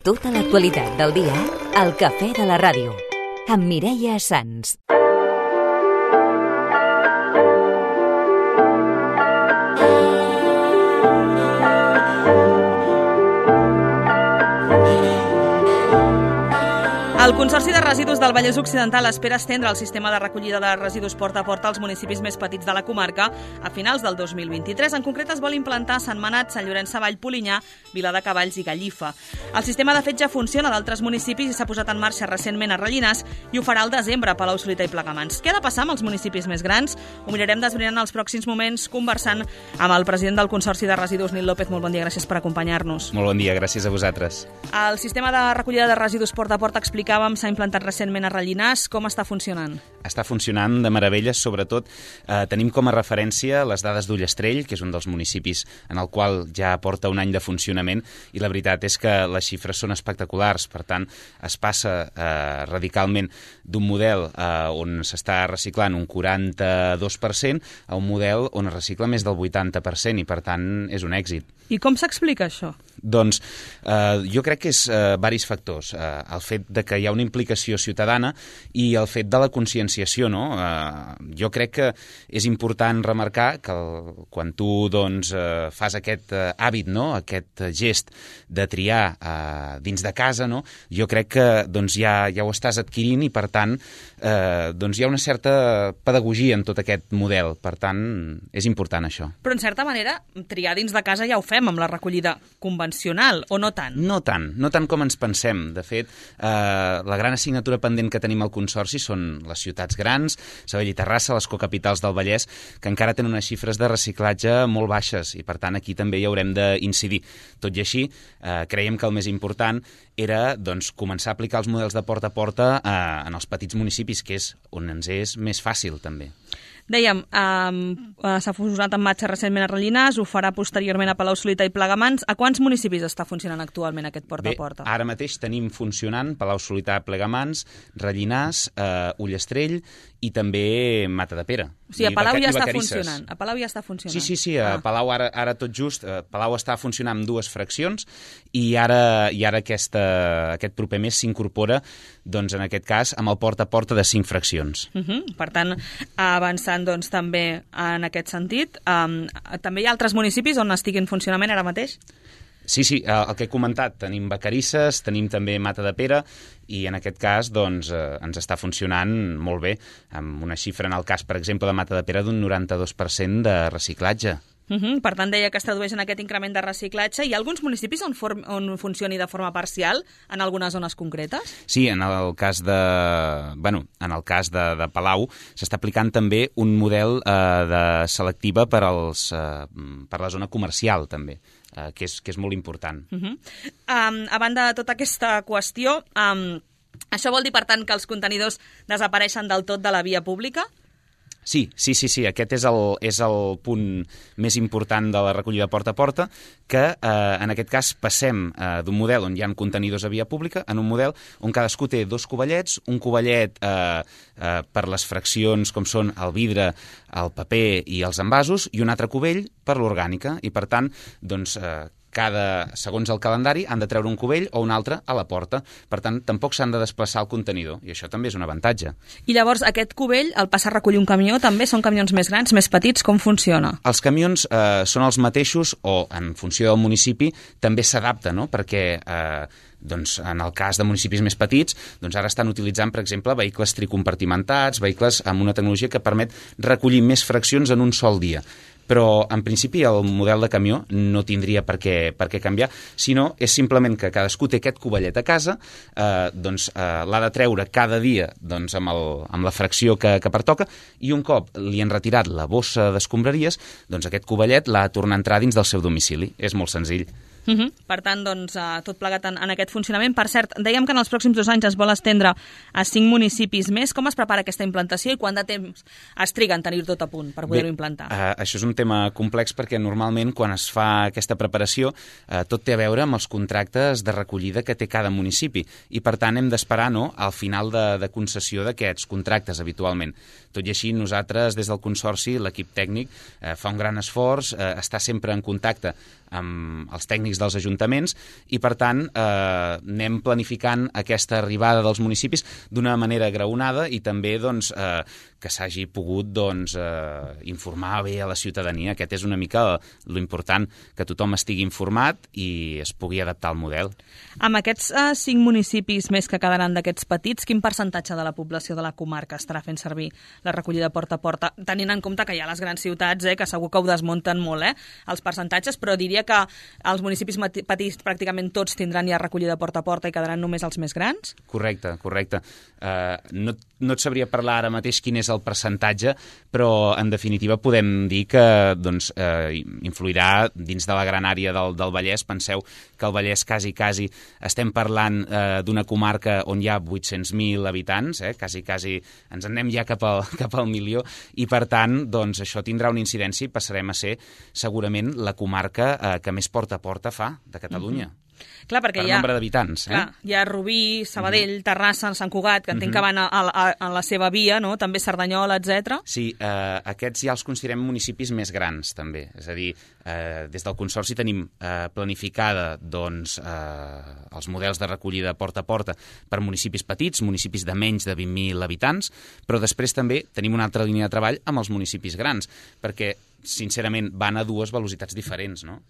Tota l'actualitat del dia al Cafè de la Ràdio, amb Mireia Sans. El Consorci de Residus del Vallès Occidental espera estendre el sistema de recollida de residus porta a porta als municipis més petits de la comarca a finals del 2023. En concret, es vol implantar a Sentmenat, Sant Llorenç Savall, Polinyà, Viladecavalls i Gallifa. El sistema, de fet, ja funciona a d'altres municipis i s'ha posat en marxa recentment a Rellinars i ho farà al desembre a Palau-solità i Plegamans. Què ha de passar amb els municipis més grans? Ho mirarem d'esbrinar en els pròxims moments conversant amb el president del Consorci de Residus, Nil López. Molt bon dia, gràcies per acompanyar-nos. Molt bon dia, gràcies a vosaltres. El sistema de recollida de residus porta a porta, explicàvem, s'ha implantat recentment a Rellinars. Com està funcionant? Està funcionant de meravella, sobretot tenim com a referència les dades d'Ullastrell, que és un dels municipis en el qual ja porta un any de funcionament, i la veritat és que les xifres són espectaculars. Per tant, es passa radicalment d'un model on s'està reciclant un 42% a un model on es recicla més del 80%, i per tant és un èxit. I com s'explica això? Doncs jo crec que és diversos factors. El fet de que hi ha una implicació ciutadana i el fet de la conscienciació, no? Jo crec que és important remarcar que quan tu doncs, fas aquest hàbit, no? Aquest gest de triar dins de casa, no? Jo crec que doncs, ja ho estàs adquirint i per tant doncs, hi ha una certa pedagogia en tot aquest model. Per tant, és important això. Però en certa manera, triar dins de casa ja ho fem amb la recollida convencional, o no tant? No tant com ens pensem. De fet, la gran assignatura pendent que tenim al Consorci són les ciutats grans, Sabadell i Terrassa, les cocapitals del Vallès, que encara tenen unes xifres de reciclatge molt baixes i, per tant, aquí també hi haurem d'incidir. Tot i així, creiem que el més important era doncs, començar a aplicar els models de porta a porta en els petits municipis, que és on ens és més fàcil, també. Dèiem, s'ha posat en marxa recentment a Rellinars, ho farà posteriorment a Palau-solità i Plegamans. A quants municipis està funcionant actualment aquest porta a porta? Bé, ara mateix tenim funcionant Palau-solità, Plegamans, Rellinars, Ullastrell i també Matadepera. O sigui, a Palau ja està funcionant. A Palau ja està funcionant. Sí, a Palau ara tot just, Palau està funcionant amb 2 fraccions i ara aquest proper mes s'incorpora, doncs en aquest cas, amb el porta a porta de 5 fraccions. Per tant, avançant doncs, també en aquest sentit. També hi ha altres municipis on estigui en funcionament ara mateix? Sí, el que he comentat, tenim Vacarisses, tenim també Matadepera i en aquest cas doncs, ens està funcionant molt bé, amb una xifra en el cas, per exemple, de Matadepera d'un 92% de reciclatge. Per tant, deia que es tradueix en aquest increment de reciclatge. Hi ha alguns municipis on funcioni de forma parcial en algunes zones concretes? Sí, en el cas de Palau s'està aplicant també un model de selectiva per la zona comercial, també. Que és molt important. A banda de tota aquesta qüestió, això vol dir, per tant, que els contenidors desapareixen del tot de la via pública? Sí, aquest és el punt més important de la recollida porta a porta, que en aquest cas passem d'un model on hi ha contenidors a via pública en un model on cadascú té 2 cubellets, un covellet per les fraccions com són el vidre, el paper i els envasos, i un altre cubell per l'orgànica, i per tant, doncs, segons el calendari, han de treure un cubell o un altre a la porta. Per tant, tampoc s'han de desplaçar el contenidor, i això també és un avantatge. I llavors, aquest cubell, el passa a recollir un camió, també són camions més grans, més petits? Com funciona? Els camions són els mateixos, o en funció del municipi també s'adapta, no? Perquè doncs, en el cas de municipis més petits, doncs ara estan utilitzant, per exemple, vehicles tricompartimentats, vehicles amb una tecnologia que permet recollir més fraccions en un sol dia. Però, en principi, el model de camió no tindria per què canviar, sinó és simplement que cadascú té aquest covellet a casa, l'ha de treure cada dia doncs, amb la fracció que pertoca, i un cop li han retirat la bossa d'escombraries, doncs aquest covellet l'ha de tornar a entrar dins del seu domicili. És molt senzill. Per tant, doncs, tot plegat en aquest funcionament. Per cert, dèiem que en els pròxims 2 anys es vol estendre a 5 municipis més. Com es prepara aquesta implantació i quant de temps es triga en tenir tot a punt per poder-ho implantar? Això és un tema complex perquè normalment quan es fa aquesta preparació tot té a veure amb els contractes de recollida que té cada municipi i per tant hem d'esperar al final de concessió d'aquests contractes habitualment. Tot i així, nosaltres des del Consorci, l'equip tècnic, fa un gran esforç, està sempre en contacte amb els tècnics dels ajuntaments i, per tant, anem planificant aquesta arribada dels municipis d'una manera graonada i també doncs, que s'hagi pogut doncs, informar bé a la ciutadania. Aquest és una mica l'important, que tothom estigui informat i es pugui adaptar al model. Amb aquests 5 municipis més que quedaran d'aquests petits, quin percentatge de la població de la comarca estarà fent servir la recollida porta a porta? Tenint en compte que hi ha les grans ciutats, que segur que ho desmunten molt, els percentatges, però diria que els municipis petits pràcticament tots tindran ja recollida porta a porta i quedaran només els més grans? Correcte. No et sabria parlar ara mateix quin és el percentatge, però en definitiva podem dir que doncs, influirà dins de la gran àrea del Vallès. Penseu que el Vallès quasi estem parlant d'una comarca on hi ha 800.000 habitants, quasi ens en anem ja cap al milió, i per tant doncs, això tindrà una incidència i passarem a ser segurament la comarca que més porta a porta fa de Catalunya. Clar, perquè per nombre d'habitants. Hi ha Rubí, Sabadell, Terrassa, Sant Cugat, que entenc que van a la seva via, no? També Cerdanyola, etc. Sí, aquests ja els considerem municipis més grans, també. És a dir, des del Consorci tenim planificada doncs, els models de recollida porta a porta per municipis petits, municipis de menys de 20.000 habitants, però després també tenim una altra línia de treball amb els municipis grans, perquè, sincerament, van a dues velocitats diferents, no?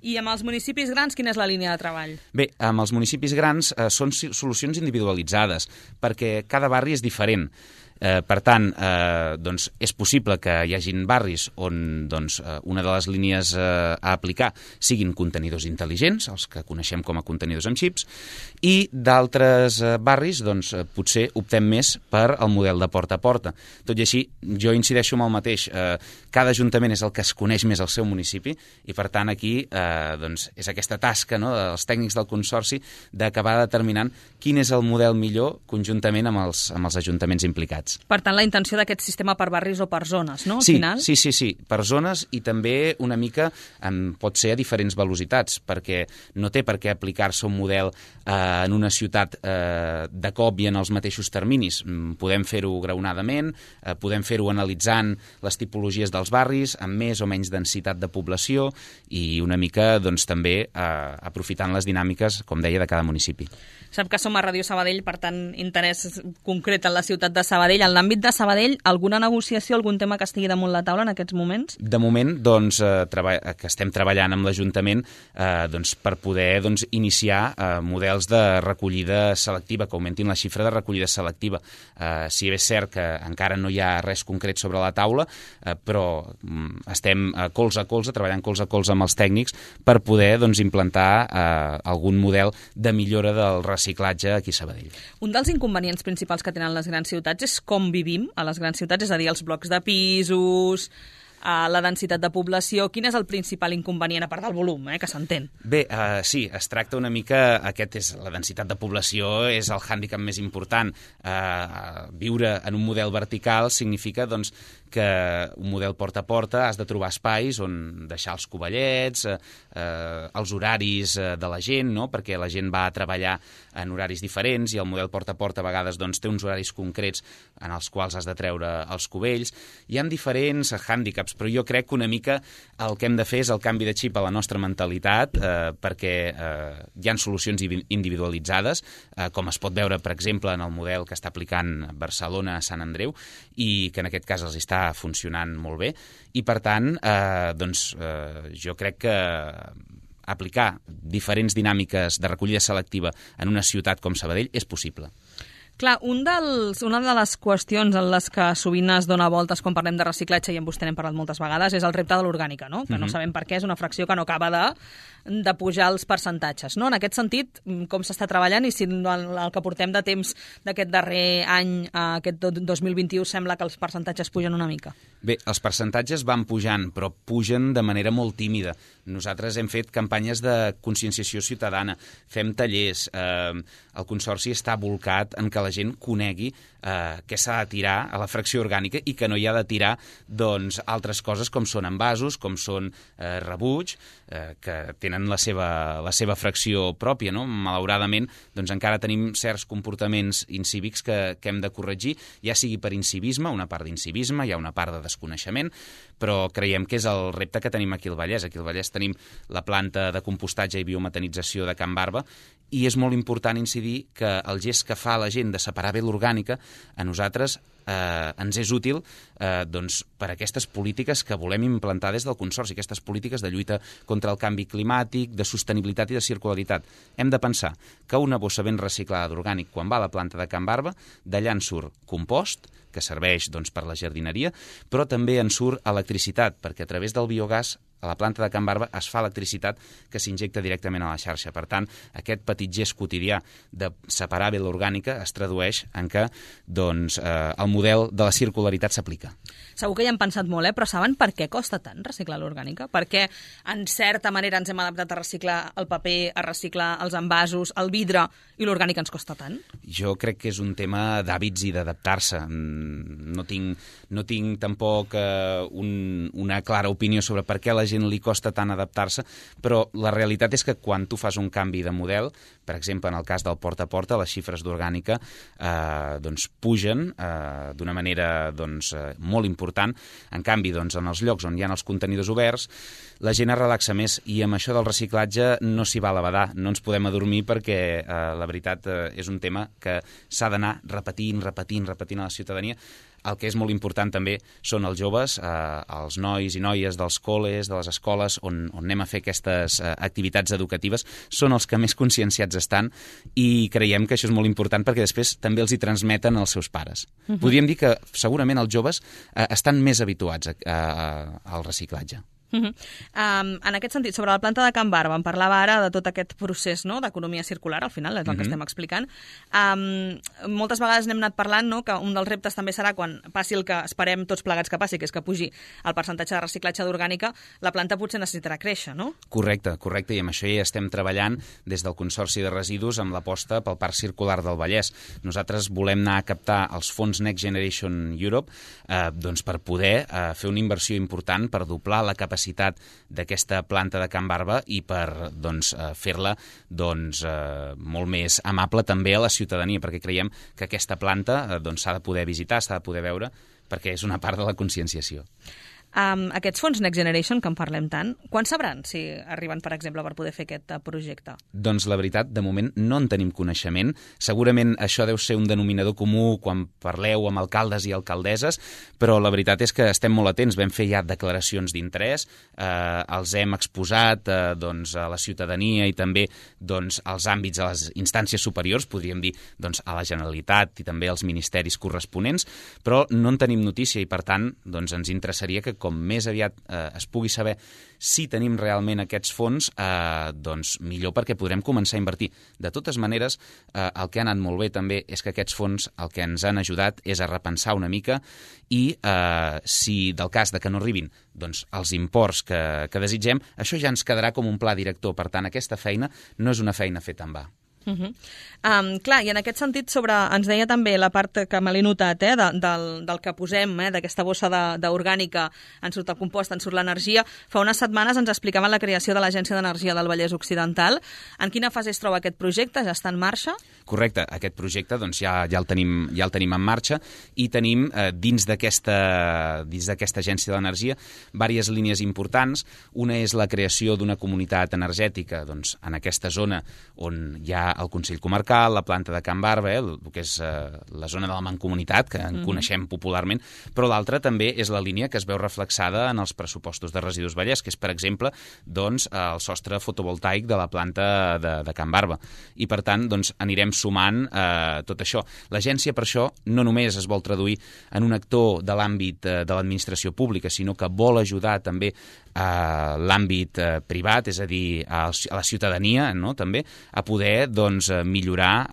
I amb els municipis grans, quina és la línia de treball? Bé, amb els municipis grans són solucions individualitzades, perquè cada barri és diferent. Per tant, doncs, és possible que hi hagin barris on doncs, una de les línies a aplicar siguin contenidors intel·ligents, els que coneixem com a contenidors amb xips, i d'altres barris doncs, potser optem més per el model de porta a porta. Tot i així, jo incideixo en el mateix. Cada ajuntament és el que es coneix més al seu municipi i, per tant, aquí doncs, és aquesta tasca, no, dels tècnics del Consorci d'acabar determinant quin és el model millor conjuntament amb els ajuntaments implicats. Per tant, la intenció d'aquest sistema per barris o per zones, no? Al sí, final? Sí, per zones i també una mica pot ser a diferents velocitats, perquè no té per què aplicar-se un model en una ciutat de cop i en els mateixos terminis. Podem fer-ho graonadament, podem fer-ho analitzant les tipologies dels barris, amb més o menys densitat de població i una mica doncs, també aprofitant les dinàmiques, com deia, de cada municipi. Sap que som a Ràdio Sabadell, per tant, interès concret en la ciutat de Sabadell. En l'àmbit de Sabadell, alguna negociació, algun tema que estigui damunt la taula en aquests moments? De moment, doncs, que estem treballant amb l'Ajuntament doncs, per poder doncs, iniciar models de recollida selectiva, que augmentin la xifra de recollida selectiva. Si bé és cert que encara no hi ha res concret sobre la taula, però estem colze a colze, treballant colze a colze amb els tècnics per poder doncs, implantar algun model de millora del reciclatge aquí a Sabadell. Un dels inconvenients principals que tenen les grans ciutats és com vivim a les grans ciutats, és a dir, els blocs de pisos, la densitat de població. Quin és el principal inconvenient, a part del volum, que s'entén? Bé, sí, es tracta una mica, la densitat de població és el hàndicap més important. Viure en un model vertical significa doncs, que un model porta a porta has de trobar espais on deixar els covellets, els horaris de la gent, no? Perquè la gent va a treballar en horaris diferents i el model porta a porta a vegades doncs, té uns horaris concrets en els quals has de treure els cubells. Hi ha diferents hàndicaps, però jo crec que una mica el que hem de fer és el canvi de xip a la nostra mentalitat, perquè hi ha solucions individualitzades, com es pot veure, per exemple, en el model que està aplicant Barcelona a Sant Andreu, i que en aquest cas els està funcionant molt bé, i per tant jo crec que aplicar diferents dinàmiques de recollida selectiva en una ciutat com Sabadell és possible. Clar, una de les qüestions en les que sovint es dona voltes quan parlem de reciclatge, i amb vostè n'hem parlat moltes vegades, és el repte de l'orgànica, no? Que no sabem per què, és una fracció que no acaba de pujar els percentatges, no? En aquest sentit, com s'està treballant i si el que portem de temps d'aquest darrer any, aquest 2021, sembla que els percentatges pugen una mica? Bé, els percentatges van pujant, però pugen de manera molt tímida. Nosaltres hem fet campanyes de conscienciació ciutadana, fem tallers, el Consorci està volcat en que la la gent conegui què s'ha de tirar a la fracció orgànica i que no hi ha de tirar doncs, altres coses com són envasos, com són rebuig, que tenen la seva fracció pròpia. No? Malauradament, doncs, encara tenim certs comportaments incívics que hem de corregir, ja sigui per incivisme, una part d'incivisme, hi ha una part de desconeixement, però creiem que és el repte que tenim aquí al Vallès. Aquí al Vallès tenim la planta de compostatge i biometanització de Can Barba, i és molt important incidir que el gest que fa la gent de separar bé l'orgànica a nosaltres ens és útil doncs, per aquestes polítiques que volem implantar des del Consorci, aquestes polítiques de lluita contra el canvi climàtic, de sostenibilitat i de circularitat. Hem de pensar que una bossa ben reciclada d'orgànic, quan va a la planta de Can Barba, d'allà en surt compost, que serveix doncs, per la jardineria, però també en surt electricitat, perquè a través del biogàs a la planta de Can Barba es fa electricitat que s'injecta directament a la xarxa. Per tant, aquest petit gest quotidià de separar bé l'orgànica es tradueix en què doncs, el model de la circularitat s'aplica. Segur que hi han pensat molt, però saben per què costa tant reciclar l'orgànica? Per què, en certa manera, ens hem adaptat a reciclar el paper, a reciclar els envasos, el vidre, i l'orgànica ens costa tant? Jo crec que és un tema d'hàbits i d'adaptar-se. No tinc tampoc una clara opinió sobre per què a la gent li costa tant adaptar-se, però la realitat és que quan tu fas un canvi de model, per exemple, en el cas del porta a porta, les xifres d'orgànica doncs, pugen d'una manera doncs, molt important. En canvi, doncs, en els llocs on hi ha els contenidors oberts, la gent es relaxa més, i amb això del reciclatge no s'hi va a la badar, no ens podem adormir, perquè la veritat és un tema que s'ha d'anar repetint a la ciutadania. El que és molt important també són els joves, els nois i noies dels col·les, de les escoles on anem a fer aquestes activitats educatives, són els que més conscienciats estan, i creiem que això és molt important perquè després també els hi transmeten als seus pares. Podríem dir que segurament els joves estan més habituats al reciclatge. En aquest sentit, sobre la planta de Can Barba, em parlava ara de tot aquest procés, no?, d'economia circular, al final, és el que estem explicant. Moltes vegades n'hem anat parlant, no?, que un dels reptes també serà quan passi el que esperem tots plegats que passi, que és que pugi el percentatge de reciclatge d'orgànica, la planta potser necessitarà créixer, no? Correcte, i amb això ja estem treballant des del Consorci de Residus amb l'aposta pel Parc Circular del Vallès. Nosaltres volem anar a captar els fons Next Generation Europe doncs per poder fer una inversió important per doblar la capacitat d'aquesta planta de Can Barba i per fer-la molt més amable també a la ciutadania, perquè creiem que aquesta planta s'ha de poder visitar, s'ha de poder veure, perquè és una part de la conscienciació. Aquests fons Next Generation, que en parlem tant, quan sabran si arriben, per exemple, per poder fer aquest projecte? Doncs la veritat, de moment no en tenim coneixement. Segurament això deu ser un denominador comú quan parleu amb alcaldes i alcaldesses, però la veritat és que estem molt atents. Vam fer ja declaracions d'interès, els hem exposat a la ciutadania i també als àmbits, a les instàncies superiors, podríem dir a la Generalitat i també als ministeris corresponents, però no en tenim notícia i, per tant, ens interessaria que com més aviat es pugui saber si tenim realment aquests fons, millor, perquè podrem començar a invertir. De totes maneres, el que ha anat molt bé també és que aquests fons el que ens han ajudat és a repensar una mica i si del cas de que no arribin els imports que desitgem, això ja ens quedarà com un pla director. Per tant, aquesta feina no és una feina feta en va. Clar, i en aquest sentit ens deia també la part que me l'he notat del que posem, d'aquesta bossa d'orgànica, en surt el compost, en surt l'energia. Fa unes setmanes ens explicaven la creació de l'Agència d'Energia del Vallès Occidental. En quina fase es troba aquest projecte? Ja està en marxa? Correcte, aquest projecte ja el tenim en marxa i tenim dins d'aquesta Agència d'Energia diverses línies importants. Una és la creació d'una comunitat energètica en aquesta zona on hi ha el Consell Comarcal, la planta de Can Barba, el que és la zona de la Mancomunitat, que en coneixem popularment, però l'altra també és la línia que es veu reflexada en els pressupostos de Residus Vallès, que és, per exemple, el sostre fotovoltaic de la planta de Can Barba. I, per tant, anirem sumant tot això. L'agència, per això, no només es vol traduir en un actor de l'àmbit de l'administració pública, sinó que vol ajudar també a l'àmbit privat, és a dir, a la ciutadania, no?, també, a poder millorar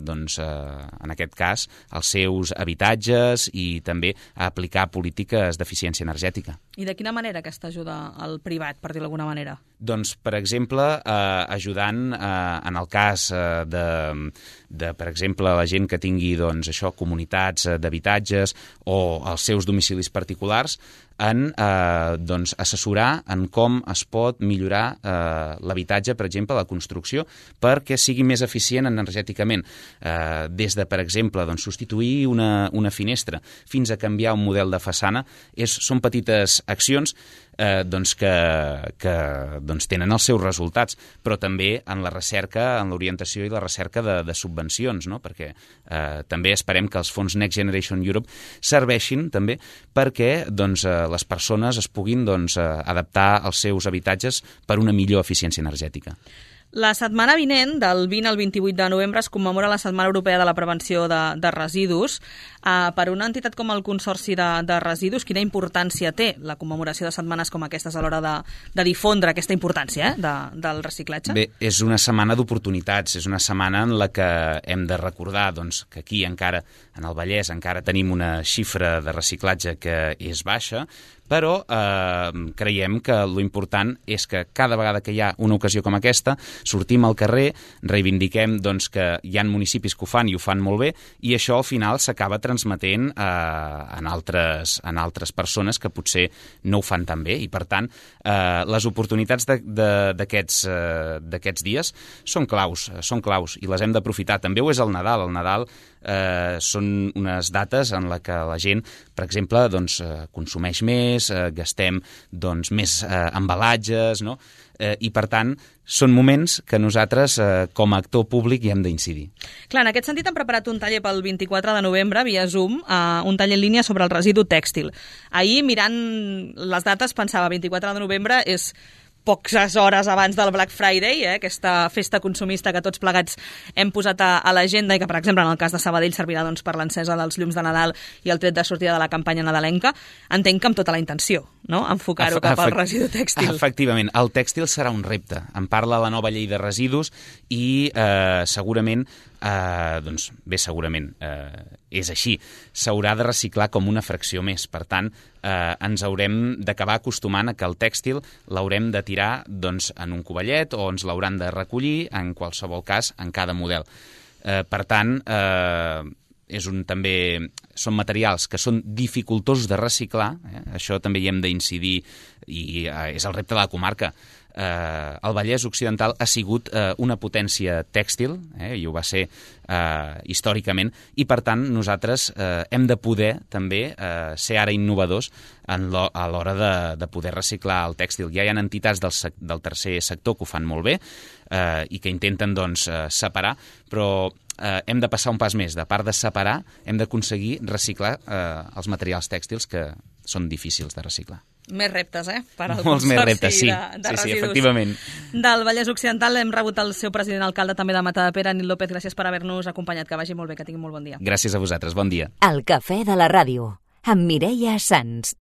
en aquest cas els seus habitatges i també aplicar polítiques d'eficiència energètica. I de quina manera aquesta ajuda al privat, per dir-ho d'alguna manera? Doncs, per exemple, ajudant en el cas de, per exemple, la gent que tingui comunitats d'habitatges o els seus domicilis particulars, en assessorar en com es pot millorar l'habitatge, per exemple, la construcció, perquè sigui més eficient energèticament. Des de, per exemple, substituir una finestra fins a canviar un model de façana, són petites accions que tenen els seus resultats, però també en la recerca, en l'orientació i la recerca de subvencions, no? Perquè també esperem que els fons Next Generation Europe serveixin també perquè les persones es puguin adaptar els seus habitatges per una millor eficiència energètica. La setmana vinent, del 20 al 28 de novembre, es commemora la Setmana Europea de la Prevenció de Residus. Per una entitat com el Consorci de Residus, quina importància té la commemoració de setmanes com aquestes a l'hora de difondre aquesta importància del reciclatge? Bé, és una setmana d'oportunitats, és una setmana en la que hem de recordar que aquí encara, en el Vallès, encara tenim una xifra de reciclatge que és baixa, però creiem que l'important és que cada vegada que hi ha una ocasió com aquesta sortim al carrer, reivindiquem que hi ha municipis que ho fan i ho fan molt bé, i això al final s'acaba transmetent en altres persones que potser no ho fan tan bé, i per tant les oportunitats d'aquests dies són claus i les hem d'aprofitar. També ho és el Nadal. El Nadal són unes dates en la que la gent, per exemple, consumeix més, gastem més embalatges, no? I per tant són moments que nosaltres com a actor públic hi hem d'incidir. Clar, en aquest sentit hem preparat un taller pel 24 de novembre via Zoom, un taller en línia sobre el residu tèxtil. Ahir, mirant les dates, pensava 24 de novembre és poques hores abans del Black Friday, aquesta festa consumista que tots plegats hem posat a l'agenda i que, per exemple, en el cas de Sabadell servirà per l'encesa dels llums de Nadal i el tret de sortida de la campanya nadalenca. Entenc que amb tota la intenció, no?, enfocar-ho cap al residu tèxtil. Efectivament, el tèxtil serà un repte. En parla la nova llei de residus i segurament és així. S'haurà de reciclar com una fracció més. Per tant, ens haurem d'acabar acostumant a que el tèxtil l'haurem de tirar en un covellet o ens l'hauran de recollir, en qualsevol cas, en cada model. Per tant, també són materials que són dificultosos de reciclar, això també hi hem d'incidir i és el repte de la comarca. El Vallès Occidental ha sigut una potència tèxtil, i ho va ser històricament, i per tant nosaltres hem de poder també ser ara innovadors a l'hora de poder reciclar el tèxtil. Ja hi ha entitats del tercer sector que ho fan molt bé i que intenten separar, però hem de passar un pas més. De part de separar, hem d'aconseguir reciclar els materials tèxtils que són difícils de reciclar. Més reptes, per al Molts més reptes, Consorci de Residus. Sí, efectivament. Del Vallès Occidental hem rebut el seu president alcalde també de Matadepera, Nil López. Gràcies per haver-nos acompanyat. Que vagi molt bé, que tingui molt bon dia. Gràcies a vosaltres. Bon dia. El Cafè de la Ràdio, amb Mireia Sans.